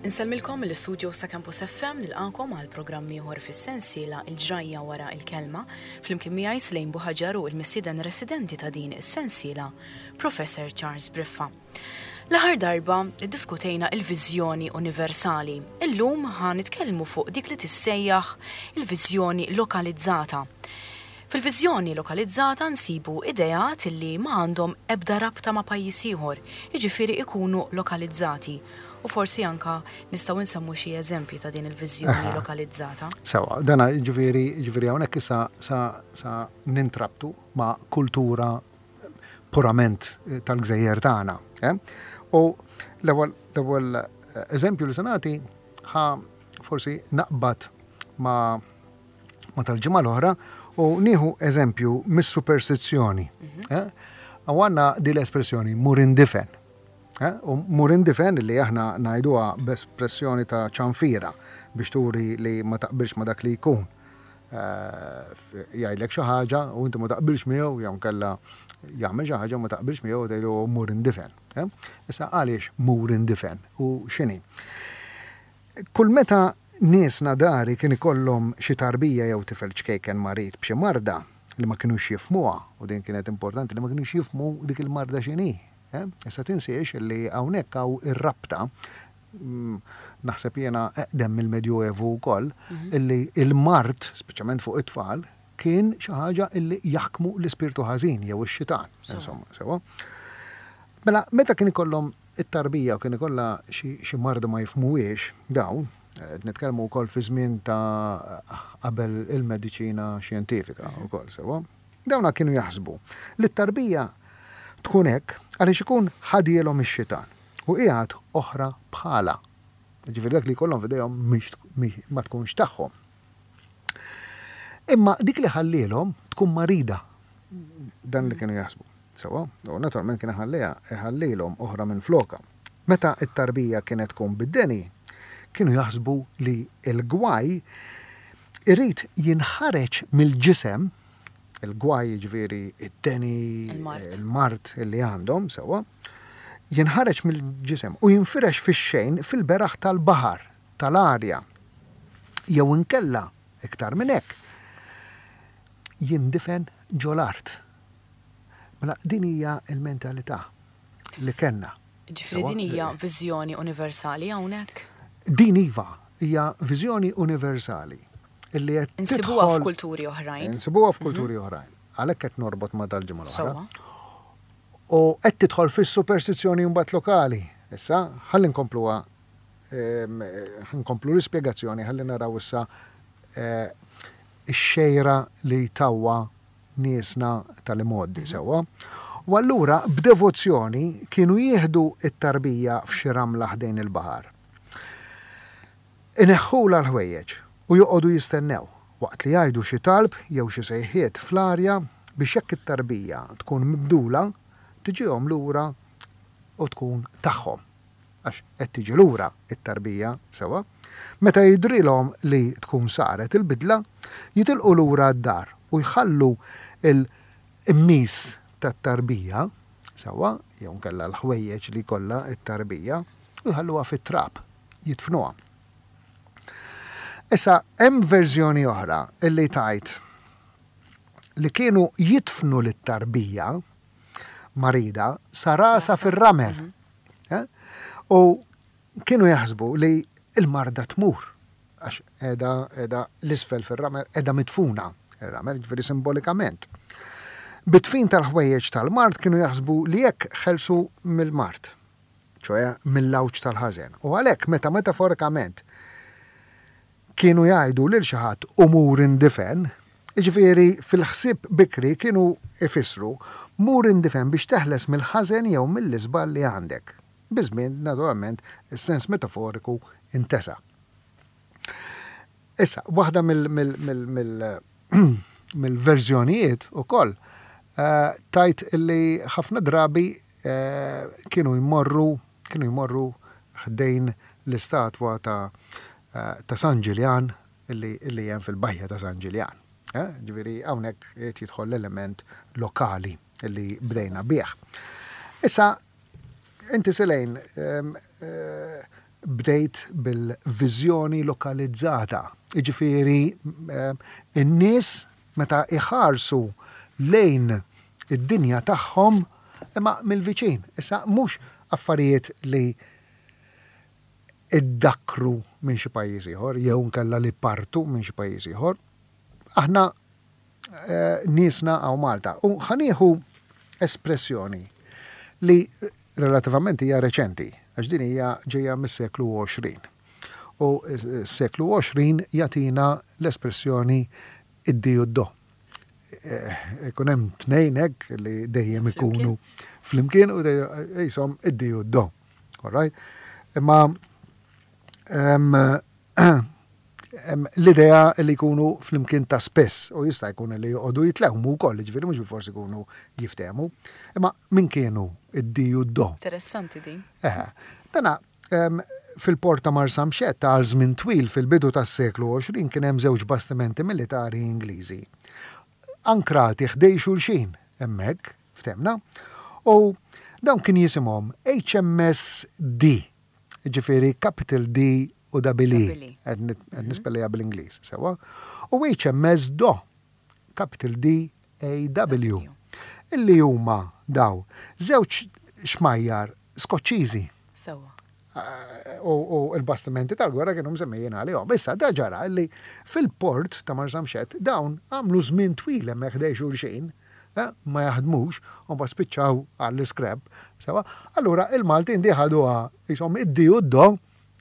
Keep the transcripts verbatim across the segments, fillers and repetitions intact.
Insellmilkom mill-istudio sa' Campus F M, nilqakom għal programm ieħor fis-sensiela Il-Ġrajja Wara il-Kelma, flimkien miegħi Slejn Buħaġar u l-mistieden residenti ta' din is-sensiela, Professor Charles Briffa. L-aħħar darba iddiskutejna il-viżjoni universali. Illum ħa nitkellmu fuq dik li tissejjaħ il-viżjoni lokalizzata. Fil-viżjoni lokalizzata nsibu ideat li ma għandhom ebda rabta ma' pajjiż ieħor, jiġifieri ikunu lokalizzati. U forsi anka nistgħu nsemmu xi eżempji ta' din il-viżjoni lokalizzata. Sewa, dana ġifieri ġifieri hawnhekk issa sa, sa nintrabtu ma' kultura purament eh, tal-gżejjer tagħna. Eh? U l-ewwel l-ewwel eh, eżempju li se nagħti ħa forsi naqbad ma' ma tal-ġimgħa l-oħra u nieħu eżempju mis-superstizzjoni. Eh? Għandna din l-espressjoni "mur indifen". Eh? U "mur indifen" li aħna ngħiduha b'espressjoni ta' ċanfira biex turi li ma taqbilx ma dak li jkun. Eh, jgħidlek xi ħaġa u inti ma taqbilx miegħu jew kella jagħmel xi ħaġa u ma taqbilx miegħu, tgħidu "mur indifen". Eh? Issa, għaliex "mur indifen" u x'inhi? Kull meta niesna dari kien ikollhom xi tarbija jew tifel ċkejken marid b'xi marda li ma kinux jifhmuha, u din kienet importanti li ma kinux jifhmu dik il-marda x'inhi. Eh? Issa tinsiex li hawnhekk hawn ir-rabta, mm, naħseb jiena eqdem mill-Medjuevu wkoll, illi il-mard, speċjalment fuq it-tfal, kien xi ħaġa illi jaħkmu l-ispirtu ħażin jew ix-xitan. Insomma, sewa. Mela, meta kien ikollhom it-tarbija u kien ikollha xi xi marda ma jifhmuhiex dawn, qed nitkellmu wkoll fi żmien ta' qabel il-mediċina xjentifika wkoll, sewa. Dawna kienu jaħsbu li t-tarbija tkun hekk għaliex ikun ħadielhom ix-xitan u qiegħed oħra bħala. Ġifieri dak li jkollhom f'idejhom mhix mhix- ma tkunx tagħhom. Imma dik li ħallielhom tkun marida. Dan li kienu jaħsbu. Sewa, u naturalment kien ħalliha ħallilhom oħra minn floka. Meta it-tarbija kienet tkun bid-deni, kienu jaħsbu li l-gwaj irid jinħareġ mill-ġisem, il-gwaj ġifieri id-deni, Il-mard. Il-mard li għandhom, sewa, jinħareġ mill-ġisem u jinfirex fix-xejn fil-beraħ tal-baħar, tal-arja. Jew inkella, iktar minn hekk, jindifen ġol-art. Mela din hija l-mentalità li kellna. Ġifieri Sewa, din hija viżjoni universali hawnhekk? Din iva hija viżjoni universali illi qed Insibuha tidħol- f'kulturi oħrajn. Insibuha f'kulturi oħrajn. Għalhekk qed norbot ma' tal-ġimgħa l-oħra. Sewa. U qed tidħol fis-superstizzjoni mbagħad lokali. Issa, ħalli nkompluha em, eh, nkomplu l-ispjegazzjoni, ħalli naraw issa eh, ix-xejra li tawha niesna tal-imgħoddi sewwa. U allura b'devozzjoni kienu jieħdu it-tarbija f'xi ramla ħdejn il-baħar. Ineħħula l-ħwejjeġ u joqogħdu jistennew waqt li jgħidu xi talb jew xi sejħiet fl-arja biex jekk it-tarbija tkun mibdula tiġihom lura u tkun tagħhom. Għax qed tiġi lura it-tarbija, sewa. Meta jidrilhom li tkun saret il-bidla, jitilqu lura d-dar u jħallu il-qmis tat-tarbija, sewa, jew nkella l-ħwejjeġ li kollha it-tarbija, u jħalluha fit-trab, jidfnuha. Issa, hemm verżjoni oħra illi tgħid li kienu jidfnu lit-tarbija marida sa rasa fir-ramel. Eh? U kienu jaħsbu li il-marda tmur għax edha, edha l-isfel fir-ramel, edha midfuna ir-ramel, ġifieri simbolikament. Bit-dfin tal-ħwejjeġ tal-mard kienu jaħsbu li jekk ħelsu mill-mard, ċoè mill-għawġ tal-ħażen. U għalhekk meta metaforikament kienu jgħidu lil xi ħadd u "mur indifen", ġifieri fil-ħsieb bikri kienu ifissru mur indifen biex teħles mill-ħażen jew mill-iżball li għandek. Biż-żmien, naturalment, is-sens metaforiku intesa. Issa, waħda mill-verżjonijiet ukoll eh, tgħid illi ħafna drabi eh, kienu jmorru kienu jmorru ħdejn l-istatwa ta' eh, ta' San Ġiljan illi, illi hemm fil-bajja ta' San Ġiljan. Eh? Ġifieri hawnhekk qed jidħol l-element lokali illi bdejna bih. Issa, inti Selejn, em, eh, bdejt Bdejt bil-viżjoni lokalizzata. Jiġifieri in-nies meta iħarsu lejn id-dinja tagħhom imma mill-viċin. Issa mhux affarijiet li iddakkru minn xi pajjiż ieħor jew nkella li partu minn xi pajjiż ieħor. Aħna niesna hawn Malta. U ħa nieħu espressjoni li relativament hija reċenti, għax din hija ġejja mis-seklu għoxrin. U s-seklu għoxrin jagħtina l-espressjoni id-di u d-do. Ikun hemm tnejn hekk li dejjem ikunu flimkien u jisom id-di u d-do. All right? Imma l-idea li jkunu flimkien ta' spess u jista' jkun li joqogħdu jitlewmu wkoll, jiġifieri mhux bilfors ikunu jiftehmu. Imma min kienu id-di u d-do? Interessanti din. Eħe. Dana fil-port ta' Marsamxett għal żmien twil fil-bidu tas-seklu għoxrin kien hemm żewġ bastimenti militari Ingliżi. Ankrati ħdej xulxin hemmhekk, ftemna, u dawn kien jisimhom H M S D, jiġifieri Capital D u double E, qed nispellejha bl-Ingliż, sewwa, u H M S D O, Capital D A W, illi huma daw żewġ xmajjar Skoċċiżi. Sewwa. U l-bastimenti tal-gwerra kienu msemmijin għalihom. Issa da ġara illi fil-port ta' Marsamxett dawn għamlu żmien twil hemmhekk ħdej xulxin, ma jaħdmux, u mbagħad spiċċaw għall-iskreb, sewwa. Allura il-Maltin di ħaduha jisom id-di u d-do,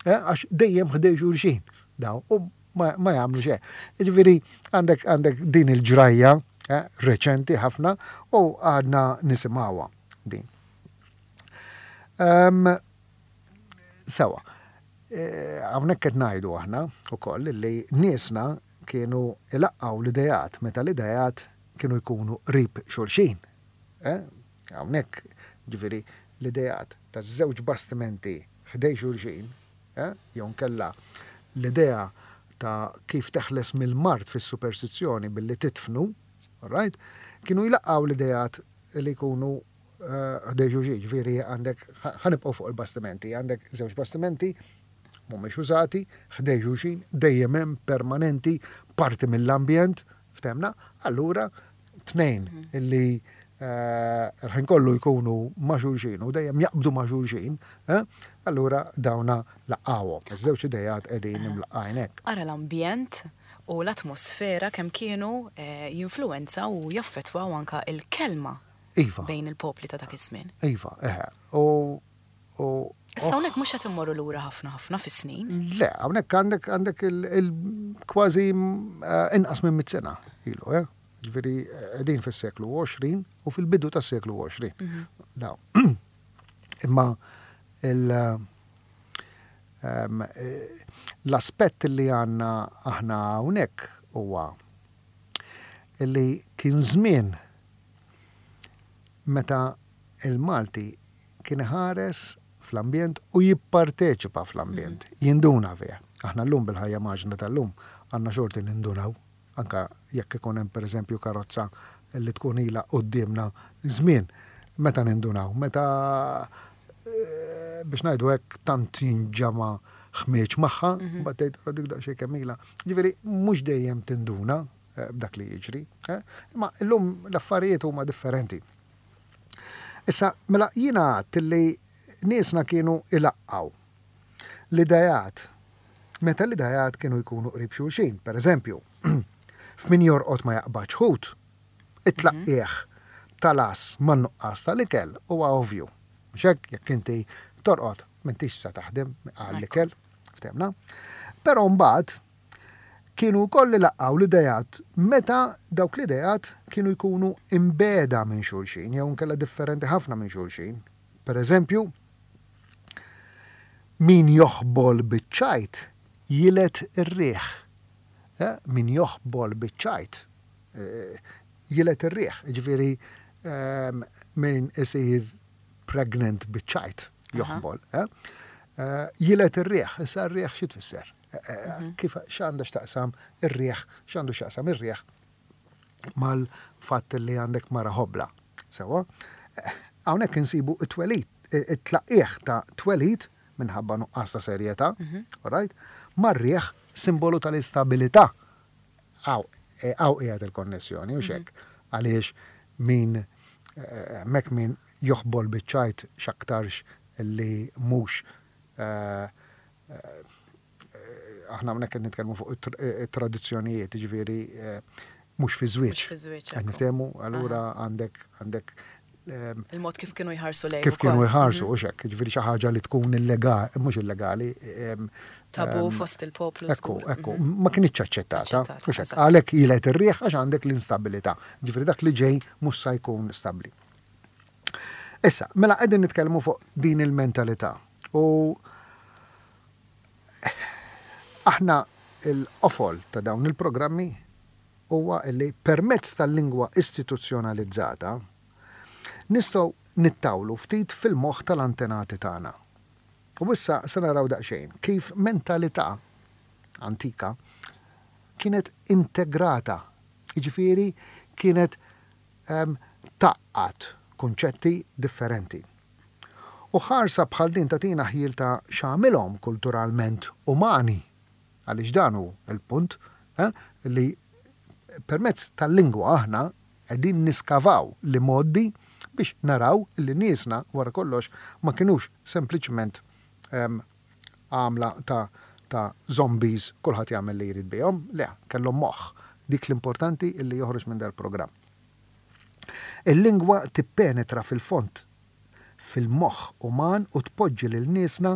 għax dejjem ħdej xulxin daw u ma, ma jagħmlu xejn. Jiġifieri għandek, għandek din il-ġrajja, eh, reċenti ħafna u għadna nisimgħuha din. Em, sewa, eh, hawnhekk qed ngħidu aħna wkoll li niesna kienu ilaqqgħu l-idejat meta l-idejat kienu jkunu qrib xulxin. Eh, hawnhekk ġifieri l-idejat ta' żewġ bastimenti ħdej xulxin, eh, jew nkella l-idea ta' kif teħles mill-mard fis-superstizzjoni billi titfnu, all right, kienu jlaqqgħu l-idejat li jkunu, eh, ħdej xulxin, ġifieri għandek, ħanibqgħu fuq il-bastimenti, għandek żewġ bastimenti mhumiex użati, ħdej xulxin, dejjem hemm permanenti, parti mill-ambjent, ftemna, allura tnejn Mhm. illi, eh, l-ħin kollu jkunu ma' xulxin u dejjem jaqbdu ma' xulxin, eh, allura dawna laqgħuhom. Iż-żewġ idejat qegħdin Eh. imlaqqajn hekk. Ara l-ambjent u l-atmosfera kemm kienu, eh, jinfluwenza u jaffettwaw anka il-kelma Iva. bejn il-popli ta' dak iż-żmien. Iva, eħe. U, u Issa hawnhekk mhux qed immorru lura ħafna ħafna fis-snin. Le, hawnhekk għandek, għandek il, il kważi, eh, inqas minn mitt sena ilu, eh? Ġifieri qegħdin fis-seklu għoxrin u fil-bidu tas-seklu għoxrin. Mhm. Daw. Imma il, ehm, l-aspett li għandna aħna hawnhekk huwa li kien żmien meta il-Malti kien iħares fl-ambjent u jipparteċipa fl-ambjent, Mhm. jinduna fih. Aħna llum bil-ħajja maġna tal-lum għandna xorti nindunaw, anka jekk ikun hemm pereżempju karozza li tkun ilha quddiemna żmien, meta nindunaw, meta, eh, biex ngħidu hekk tant jinġama' ħmieġ magħha, Mhm. mbagħad tgħid ara dik daqsxejn kemm ilha. Ġifieri mhux dejjem tinduna, eh, b'dak li jiġri, eh? Imma llum l-affarijiet huma differenti. Issa, mela jiena għedt li niesna kienu ilaqqgħu l-idejat, meta l-idejat kienu jkunu qrib xulxin, per eżempju, f'min jorqod ma jaqbadx ħut, it-tlaqqieħ tal-as man-nuqqas tal-ikel huwa ovvju. Mhux hekk, jekk inti torqod m'intix sa taħdem għall-ikel, ftemna. Però mbagħad kienu wkoll ilaqqgħu l-idejat meta dawk l-idejat kienu jkunu imbeda minn xulxin jew inkella differenti ħafna minn xulxin. Per eżempju, min joħbol biċ-ċajt jilet ir-riħ. Eh, min joħbol biċ-ċajt, eh, jilet ir-riħ. Ġifieri, ehm, min isir pregnant biċ-ċajt joħbol. Aha. Eh? Eh, jilet ir-riħ. Issa r-riħ xi tfisser? Eh, eh, Mhm. Kif x'għandu x'taqsam ir-riħ, x'għandu x'jaqsam ir-riħ mal-fatt li għandek mara ħobla. Sewwa? Eh, hawnhekk insibu t-twelid, eh, it-tlaqqieħ ta' twelid minħabba nuqqas ta' serjetà, all right? Mar-riħ, simbolu tal-istabilità. Hawn, hawn qiegħed il-konnessjoni, u xek, għaliex min mek min joħbol biċ-ċajt x'aktarx li mhux aħna hawnhekk qed nitkellmu fuq it-tradizzjonijiet, jiġifieri mhux fi żwieġ. Mhux fi żwieġ. Qed niftehmu, allura għandek għandek il-mod kif kienu jħarsu lejn. Kif kienu jħarsu, u xek, ġifieri xi ħaġa li tkun illegali, mhux illegali. Tabu fost il-poplu. Ekku, ekku, ma kienx aċċettata. Għalhekk jilet ir-riħ għax għandek l-instabilità. Ġifieri dak li ġej mhux sa jkun stabbli. Issa, mela qegħdin nitkellmu fuq din il-mentalità. U aħna l-qofol ta' dawn il-programmi huwa li permezz tal-lingwa istituzzjonalizzata nistgħu nittawlu ftit fil-moħħ tal-antenati tagħna. U issa se naraw daqsxejn kif mentalità antika kienet integrata, jiġifieri kienet um, taqqat kunċetti differenti. U ħarsa bħal din tagħtina ħjiel ta' x'għamilhom kulturalment umani, għaliex dan hu l-punt eh, li permezz tal-lingwa aħna qegħdin niskavaw li modi biex naraw li niesna wara kollox ma kinux sempliċement għamla ta' ta' zombies kulħadd jagħmel li jrid bihom, le, kellhom moħħ. Dik l-importanti illi joħroġ minn dal-programm. Il-lingwa tippenetra fil-fond fil-moħħ uman u tpoġġi lil niesna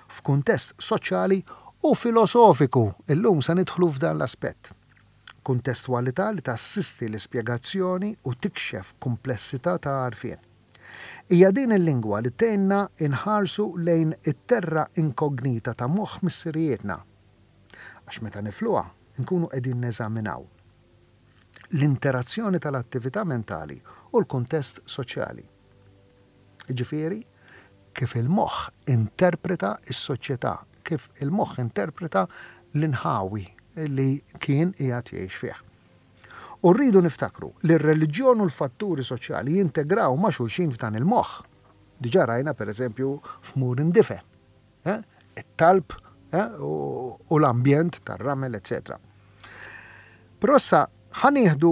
f'kuntest soċjali u filosofiku. Illum se nidħlu f'dan l-aspett. Kuntestwalità li tassisti l-ispjegazzjoni u tikxef komplessità ta' għarfien. Hija din il-lingwa li tgħinna inħarsu lejn it-terra inkognita ta' moħħ missirijietna. Għax meta nifluha nkunu qegħdin neżaminaw l-interazzjoni tal-attività mentali u l-kuntest soċjali. Ġifieri, kif il-moħħ interpreta s-soċjetà, kif il-moħħ interpreta l-inħawi li kien qiegħed jgħix fih. U rridu niftakru li r-reliġjon u l-fatturi soċjali jintegraw ma' xulxin f'dan il-moħħ. Diġà rajna per eżempju f'Mur Indife, eh? It-talb eh? u l-ambjent tar-ramel, eċċetera. Però issa ħa nieħdu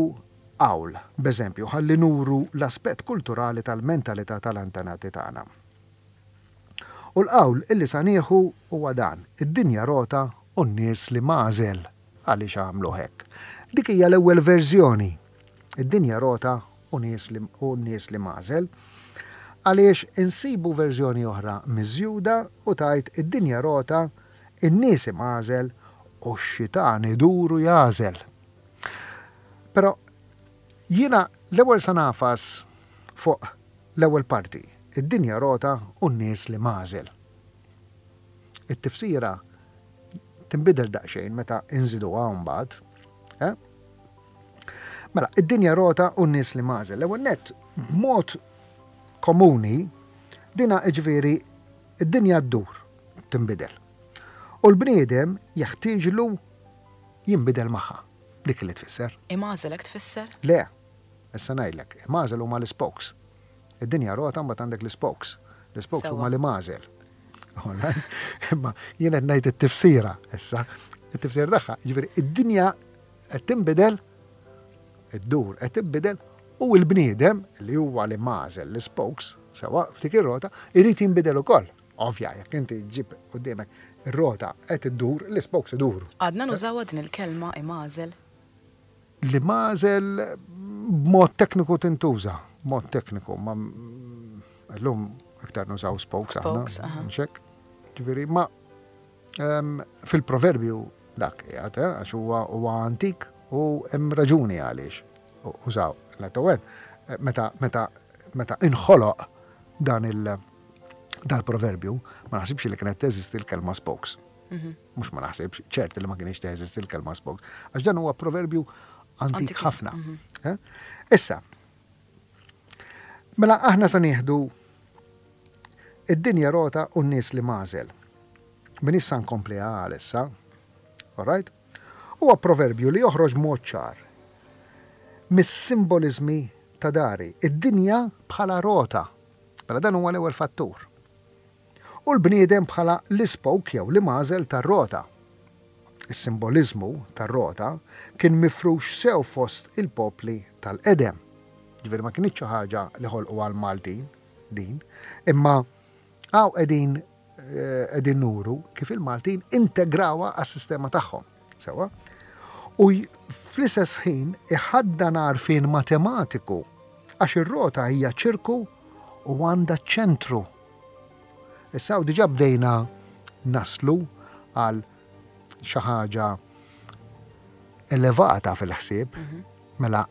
qawl, b'eżempju, ħalli nuru l-aspett kulturali tal-mentalità tal-antenati tagħna. U l-qawl illi sa nieħu huwa dan: id-dinja rota u n-nies li mażel. Għaliex għamlu hekk? Dik hija l-ewwel verżjoni. Id-dinja rota u nies li u n-nies li mażel. Għaliex insibu verżjoni oħra miżjuda u tajt id-dinja rota, in-nies imgħażel u x-xitan iduru jażel. Però jiena l-ewwel sa nafas fuq l-ewwel parti, id-dinja rota u n-nies li mażel. It-tifsira tinbidel daqsxejn meta inżiduha mbagħad. Eh? Mela, id-dinja rota u n-nies li mażel. L-ewwel nett, b'mod komuni, dina ġifieri id-dinja ddur, tinbidel. U l-bniedem jeħtieġlu jinbidel magħha. Dik li tfisser. Imgħażel hekk tfisser? Le, issa ngħidlek, imgħażel huma l-spokes. Id-dinja rota mbagħad għandek l-spokes. L-spokes huma l-imgħażel. Imma jien qed ngħid it-tifsira issa. It-tifsira tagħha, jiġifieri id-dinja qed tinbidel, iddur qed tinbidel u l-bniedem li huwa l-imgħażel, l-spokes, sewa f'dik ir-rota, irid jinbidel ukoll. Ovvja, jekk inti ġib quddiemek ir-rota qed iddur, l-spokes iduru. Għadna nużawha din il-kelma imgħażel? Li mażel b'mod tekniku tintuża, b'mod tekniku, ma llum iktar nużaw spokes aħna. Spokes, aha. Mxek? Ġifieri, ma um, fil-proverbju dak qiegħed, eh, għax huwa huwa antik u hemm raġuni għaliex użaw. L-ewwel, meta meta meta inħoloq dan il dal-proverbju, ma naħsibx li kienet teżisti l-kelma spokes. Mhux ma naħsibx, ċert li ma kienx teżisti l-kelma spokes. Għax dan huwa proverbju antik ħafna. Eh? Issa, mela aħna sa nieħdu id-dinja rota u n-nies li mażel. Min issa nkompli għal issa, all right? Huwa proverbju li joħroġ mod ċar mis-simbolizmi ta' dari, id-dinja bħala rota. Mela dan huwa l-ewwel fattur. U l-bniedem bħala l-ispoke jew l-imgħażel tar-rota. Is-simboliżmu tar-rota kien mifrux sew fost il-popli tal-qedem. Ġifieri ma kinitx xi ħaġa li ħolqu għall-Maltin din, imma hawn qegħdin qegħdin nuru kif il-Maltin integrawha għas-sistema tagħhom. Sewwa? U fl-istess ħin iħaddan għarfien matematiku għax ir-rota hija ċirku u għandha ċentru. Issa diġà bdejna naslu għal xi ħaġa elevata fil-ħsieb, mela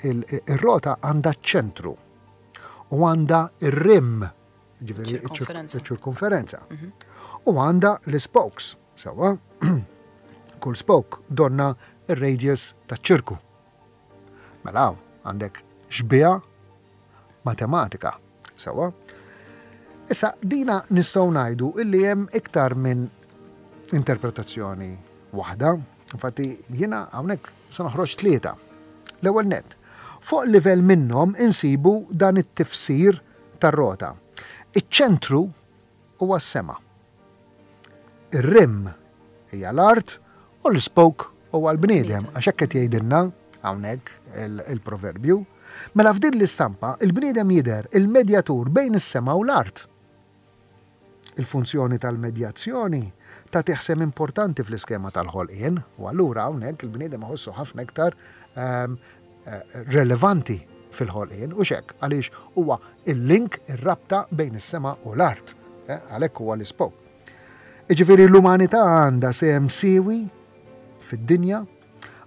ir-rota għandha ċentru u għandha ir-rim, ġifieri ċ-ċirkonferenza. U għandha l-spokes, sewwa, kull spoke donna ir-radius taċ-ċirku. Mela għandek xbieha matematika, sewwa. Issa dina nistgħu ngħidu illi hemm iktar minn interpretazzjoni waħda. Infatti jiena hawnhekk se noħroġ tlieta. L-ewwel nett, fuq livell minnhom insibu dan it-tifsir tar-rota. Iċ-ċentru huwa s-sema. Ir-rim hija l-art u l-spoke huwa l-bniedem, għax hekk qed jgħidilna hawnhekk il-proverbju. Mela f'din l-istampa il-bniedem jidher il-medjatur bejn is-sema u l-art. Il-funzjoni tal-medjazzjoni tagħtih sehem importanti fl-iskema tal-ħolqien, u allura hawnhekk il-bniedem iħossu ħafna iktar ehm, eh, relevanti fil-ħolqien, u xek, għaliex huwa il-link, ir-rabta bejn is-sema u l-art, eh, għalhekk huwa l-ispoke. Iġifieri l-umanità għandha sehem siewi fid-dinja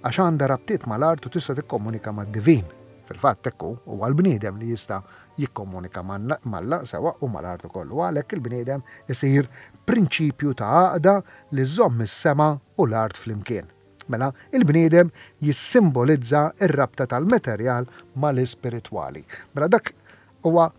għax għandha rabtiet mal-art u tista' tikkomunika mad-divin. Fil-fatt hekk huwa l-bniedem li jista' jikkomunika m'Alla sewwa u mal-art ukoll. U għalhekk il-bniedem isir prinċipju ta' għaqda li żomm is-sema u l-art flimkien. Mela, il-bniedem jissimbolizza ir-rabta tal-materjal mal-ispiritwali. Mela dak huwa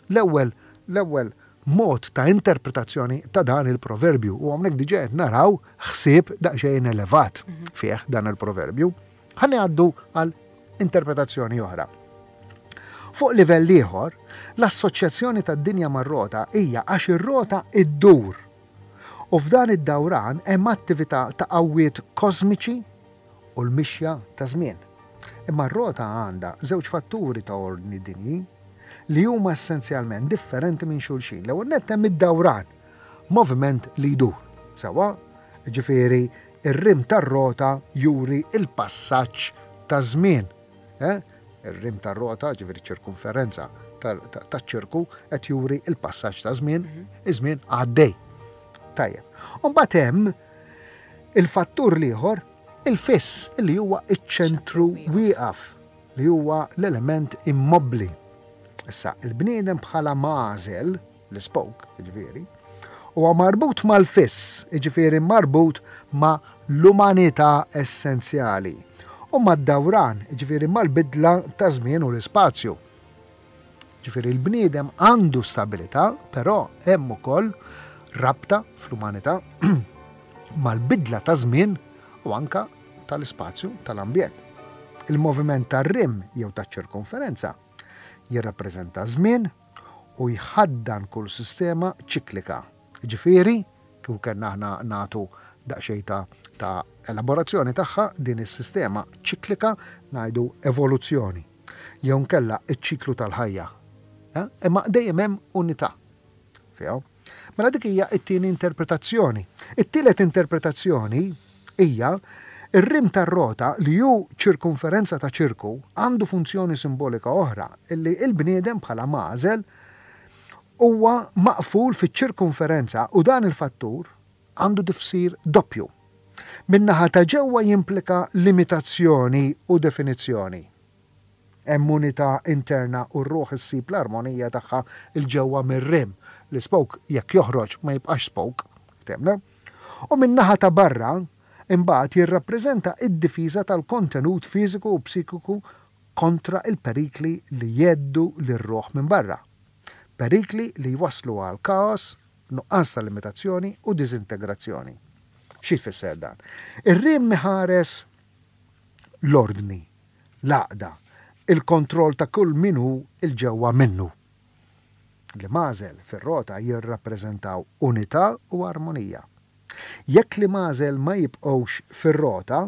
l-ewwel l-ewwel mod ta' interpretazzjoni ta' dan il-proverbju. U hawnhekk diġà qed naraw ħsieb daqsxejn elevat fih dan il-proverbju. Ħa ngħaddu għal interpretazzjoni oħra. Fuq livell ieħor, l-assoċjazzjoni tad-dinja mar-rota hija għax ir-rota iddur. U f'dan id-dawran hemm attività ta' qawwiet kosmiċi u l-mixja ta' żmien. Imma r-rota għandha żewġ fatturi ta' ordni dinji li huma essenzjalment differenti minn xulxin. L-ewwel nett hemm id-dawran, moviment li jdur. Sewwa, ġifieri ir-rim tar-rota juri il-passaġġ ta' żmien. Eh? Ir-rim tar-rota, ġifieri ċirkonferenza taċ-ċirku qed juri il-passaġġ ta' żmien, iż-żmien għaddej. Tajjeb. U mbagħad hemm il-fattur l-ieħor, il-fiss, li huwa iċ-ċentru wieqaf, li huwa l-element immobbli. Issa, il-bniedem bħala magħżel, l-spoke, ġifieri, huwa marbut mal-fiss, ġifieri marbut ma' l-umanità essenzjali. U mad-dawran, ġifieri mal-bidla ta' żmien u l-ispazju. Ġifieri l-bniedem għandu stabilità, però hemm ukoll rabta fl-umanità mal-bidla ta' żmien u anka tal-ispazju tal-ambjent. Il-moviment tar-rim jew taċ-ċirkonferenza jirrappreżenta żmien u jħaddan kull sistema ċiklika. Ġifieri, kif kellna aħna nagħtu daqsxejn ta', ta' elaborazzjoni tagħha din is-sistema ċiklika ngħidu evoluzzjoni. Jew nkella iċ-ċiklu tal-ħajja. Eh? Imma dejjem hemm unità fiha. Mela dik hija t-tieni interpretazzjoni. It-tielet interpretazzjoni hija ir-rim tar-rota li hu ċirkonferenza ta' ċirku għandu funzjoni simbolika oħra illi il-bniedem bħala magħżel huwa maqful fiċ-ċirkonferenza u dan il-fattur għandu tifsir doppju. Min-naħa ta' ġewwa jimplika limitazzjoni u definizzjoni. Hemm unità interna u r-ruħ issib l-armonija tagħha 'l ġewwa mir-rim. L-spoke jekk joħroġ ma jibqax spoke, ftemna. U min-naħa ta' barra imbagħad jirrappreżenta id-difiża tal-kontenut fiżiku u psikiku kontra il-perikli li jheddu lir-ruħ minn barra. Perikli li jwaslu għal kaos, nuqqas ta' limitazzjoni u diżintegrazzjoni. Xi jfisser dan? Ir-rim iħares l-ordni, l-għaqda, il-kontroll ta' kull min hu 'l ġewwa minnu. L-imgħażel fir-rota jirrappreżentaw unità u armonija. Jekk l-imgħażel ma jibqgħux fir-rota,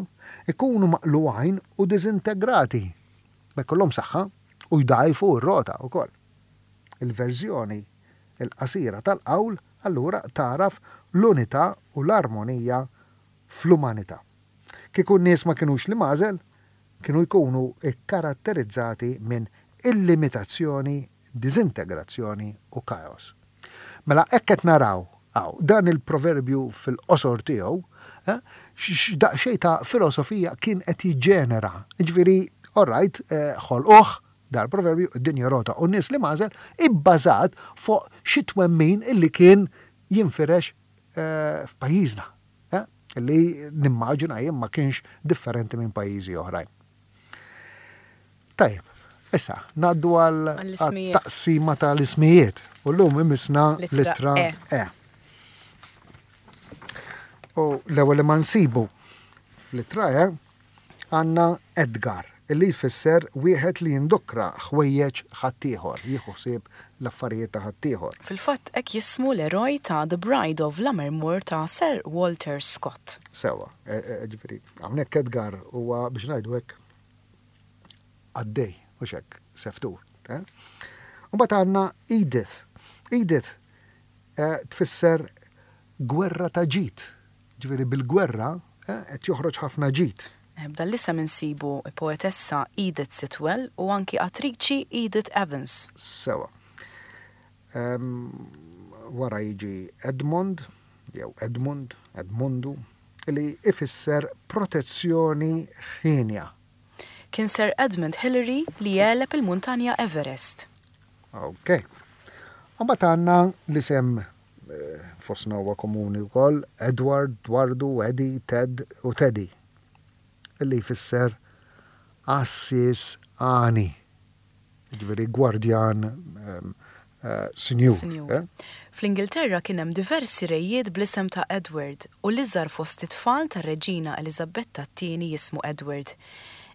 ikunu maqlugħin u diżintegrati. Ma jkollhom saħħa u jdgħajfu r-rota wkoll. Il-verżjoni il-qasira tal-qawl allura tagħraf l-unità u l-armonija fl-umanità. Kieku n-nies ma kinux l-imgħażel, kienu jkunu kkaratterizzati minn illimitazzjoni, diżintegrazzjoni u kaos. Mela hekk qed naraw hawn dan il-proverbju fil-qosor tiegħu, eh, x'daqsxejn ta' filosofija kien qed jiġġenera. Jiġifieri, all right, eh, ħolquh dal-proverbju id-dinja rota u n-nies l-imgħażel ibbażat fuq xi twemmin illi kien jinfirex eh, f'pajjiżna. Eh, illi nimmaġina jien ma kienx differenti minn pajjiżi oħrajn. Tajjeb, issa, ngħaddu għal Għall-ismijiet. taqsima tal-ismijiet. U llum imissna Littra litra E. E. U l-ewwel li ma nsibu fl-ittra E għandna Edgar, illi jfisser wieħed li jindukra ħwejjeġ ħaddieħor, jieħu ħsieb l-affarijiet ta' ħaddieħor. Fil-fatt hekk jismu l-eroj ta' The Bride of Lammermoor ta' Sir Walter Scott. Sewa, e- e- ġifieri, hawnhekk Edgar huwa biex ngħidu hekk għaddej, u hekk, seftur. Eh? U mbagħad għandna Edith. Edith eh, tfisser gwerra ta' ġid. Ġifieri bil-gwerra eh, qed joħroġ ħafna ġid. Eh, B'dan l-isem insibu poetessa Edith Sitwell u anki attriċi Edith Evans. Sewa. Em, wara jiġi Edmond, jew Edmund, Edmundu, li ifisser protezzjoni ħienja. Kien Sir Edmund Hillary li għeleb il-muntanja Everest. Ok. Mbagħad għandna l-isem eh, fostna huwa komuni wkoll Edward, Dwardu, Eddie, Ted u Teddy. Illi jfisser għassies għani. Ġifieri gwardjan em, eh, sinjur. Sinjur. eh? Fl-Ingilterra kien hemm diversi rejiet bl-isem ta' Edward u l-iżgħar fost it-tfal tar-Reġina Eliżabetta t-tieni jismu Edward.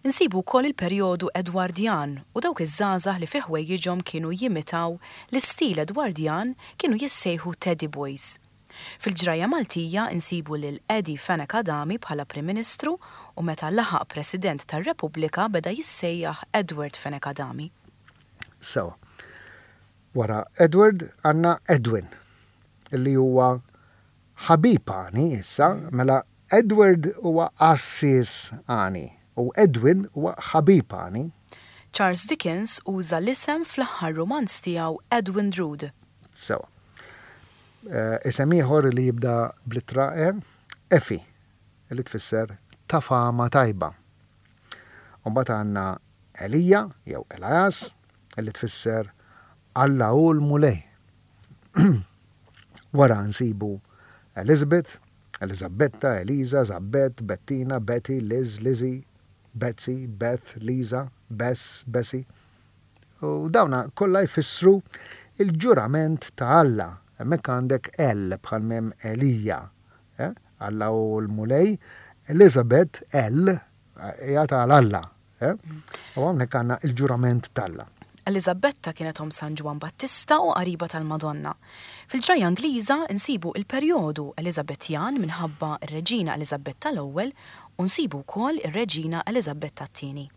Insibu wkoll il-perjodu Edwardjan u dawk iż-żgħażagħ li fi ħwejjiġhom kienu jimitaw l-istil Edwardjan kienu jissejħu Teddy Boys. Fil-ġrajja Maltija insibu lil Eddie Fenech Adami bħala Prim Ministru u meta laħaq President tar-Repubblika beda jissejjaħ Edward Fenech Adami. Sewa. Wara Edward għandna Edwin, illi huwa ħabib għani issa, mela Edward huwa għassies għani u Edwin huwa ħabib għani. Charles Dickens uża l-isem fl-aħħar romanz tiegħu Edwin Drood. Sewa. Eh, Isem ieħor li jibda bl-ittra E, Effie, li tfisser ta' fama tajba. Mbagħad għandna Elija jew Elias, li tfisser Alla hu l-Mulej. Wara nsibu Elizabeth, Elizabetta, Eliza, Zabbet, Bettina, Betty, Liz, Lizzie, Betsy, Beth, Lisa, Bess, Bessie. U dawna kollha jfissru il-ġurament ta' Alla. Hemmhekk għandek El bħal mem Elija. Eh? Alla hu l-Mulej. Elizabeth, El, hija ta' Alla. Eh? U hawnhekk għandna il-ġurament t'Alla. Eliżabetta kienet omm San Ġwann Battista u qariba tal-Madonna. Fil-ġrajja Ingliża insibu il-perjodu Eliżabetjan minħabba r-Reġina Eliżabetta l-ewwel u nsibu wkoll ir-Reġina Eliżabetta t-tieni.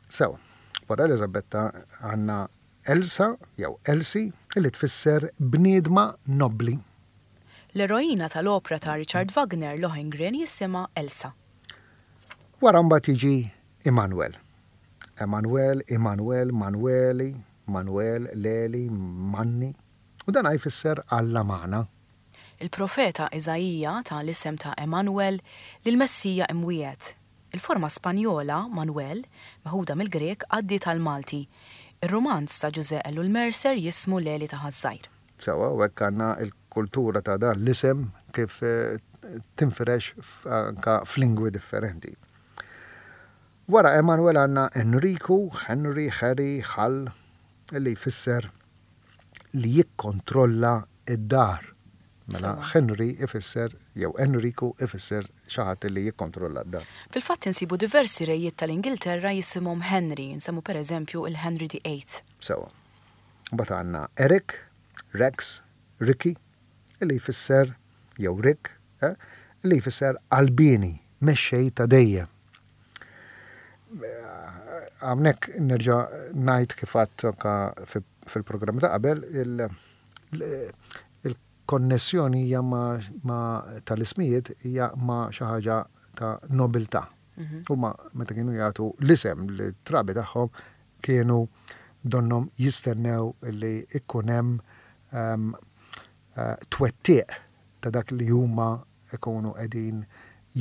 Sewa, wara Elizabetta għandna Elsa jew Elsie li tfisser bniedma nobli. L-eroina tal-opra ta' Richard Wagner Lohengrin jisimha Elsa. Wara mbagħad jiġi Immanuel. Emanuel, Immanuel, Manueli, Manuel, Leli, Manni. U dan jfisser Alla magħna. Il-profeta Iżaija ta l-isem ta' Emanuel lil-Messija imwiegħed. Il-forma Spanjola Manuel, meħuda mill-Grek, għaddiet għal-Malti. Ir-romanz ta' Ġużè Ellul Mercer jismu Leli ta' Ħaż-Żgħir. Sewa, u hekk għandna il-kultura ta' dan l-isem kif eh, tinfirex f- anka f'lingwi differenti. Wara Emanuel għandna Enrico, Henry, Harry, Hall, li jfisser li jikkontrolla id-dar. Mela Sewa. Henry ifisser, jew Enrico ifisser xi ħadd li jikkontrolla d-dar. Fil-fatt insibu diversi rejiet tal-Ingilterra jisimhom Henry, nsemmu per eżempju il-Henry the Eighth. Sewa. Mbagħad għandna Eric, Rex, Ricky, li jfisser jew Rick, eh, li jfisser qalbieni, mexxej ta' dejjem. Hawnhekk nerġa' ngħid kif għedt fil-programm ta' qabel, il-konnessjoni hija ma' tal-ismijiet hija ma' xi ħaġa ta' nobiltà. Mhm. Huma meta kienu jagħtu l-isem lit-trabi tagħhom kienu donnhom jistennew li ikun hemm ehm, eh, twettiq ta' dak li huma ikunu qegħdin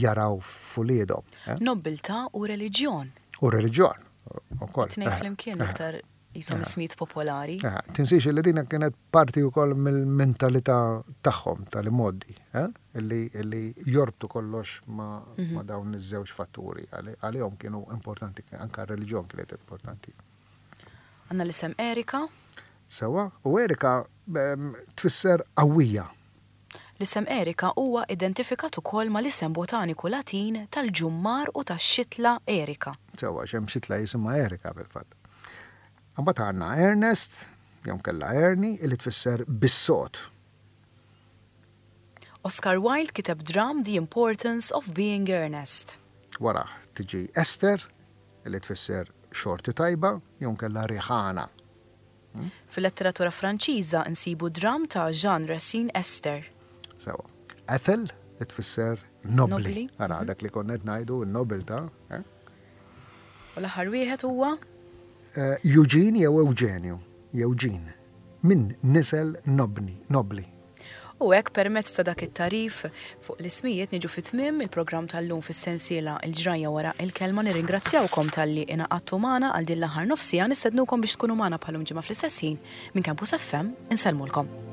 jaraw f'uliedhom. Eh? Nobiltà u reliġjon. U reliġjon ukoll. Tnejn flimkien iktar jisom ismijiet popolari. Tinsiex li din kienet parti wkoll mill-mentalità tagħhom tal-modi, eh? illi jorbtu kollox ma' mhm. dawn iż-żewġ fatturi. Għalihom kienu importanti, anka r-reliġjon kienet importanti. Għandna l-isem Erika. Sewa, u Erika tfisser qawwija. L-isem Erika huwa identifikat ukoll mal-isem botaniku Latin tal-ġummar u tax-xitla Erika. Sewa, hemm xitla jisimha Erika fil-fatt. Mbagħad għandna Ernest, jew kella Ernie, illi tfisser bis-sod. Oscar Wilde kiteb dram The Importance of Being Earnest. Wara tiġi Esther, illi tfisser xorti tajba, jew kella riħana. Hmm? Fil-letteratura Franċiża nsibu dram ta' Jean Racine Esther. Sewa. Ethel, tfisser nobli. Ara, mhm. dak li konna ngħidu, n-nobiltà. Eh? U l-aħħar wieħed huwa? Eh, Eugene jew Eugenio, Eugene, min nisel nobni, nobli. U hekk permezz ta' dak it-tagħrif fuq l-ismijiet niġu fi tmiem il-programm tal-lum fis-sensiela Il-Ġrajja Wara il-Kelma. Nirringrazzjawkom talli ingħaqadtu magħna għal din l-aħħar nofs siegħa. Nistednukom biex tkunu magħna bħal-lum ġimgħa fl-istess ħin minn Campus F M. Insellmulkom.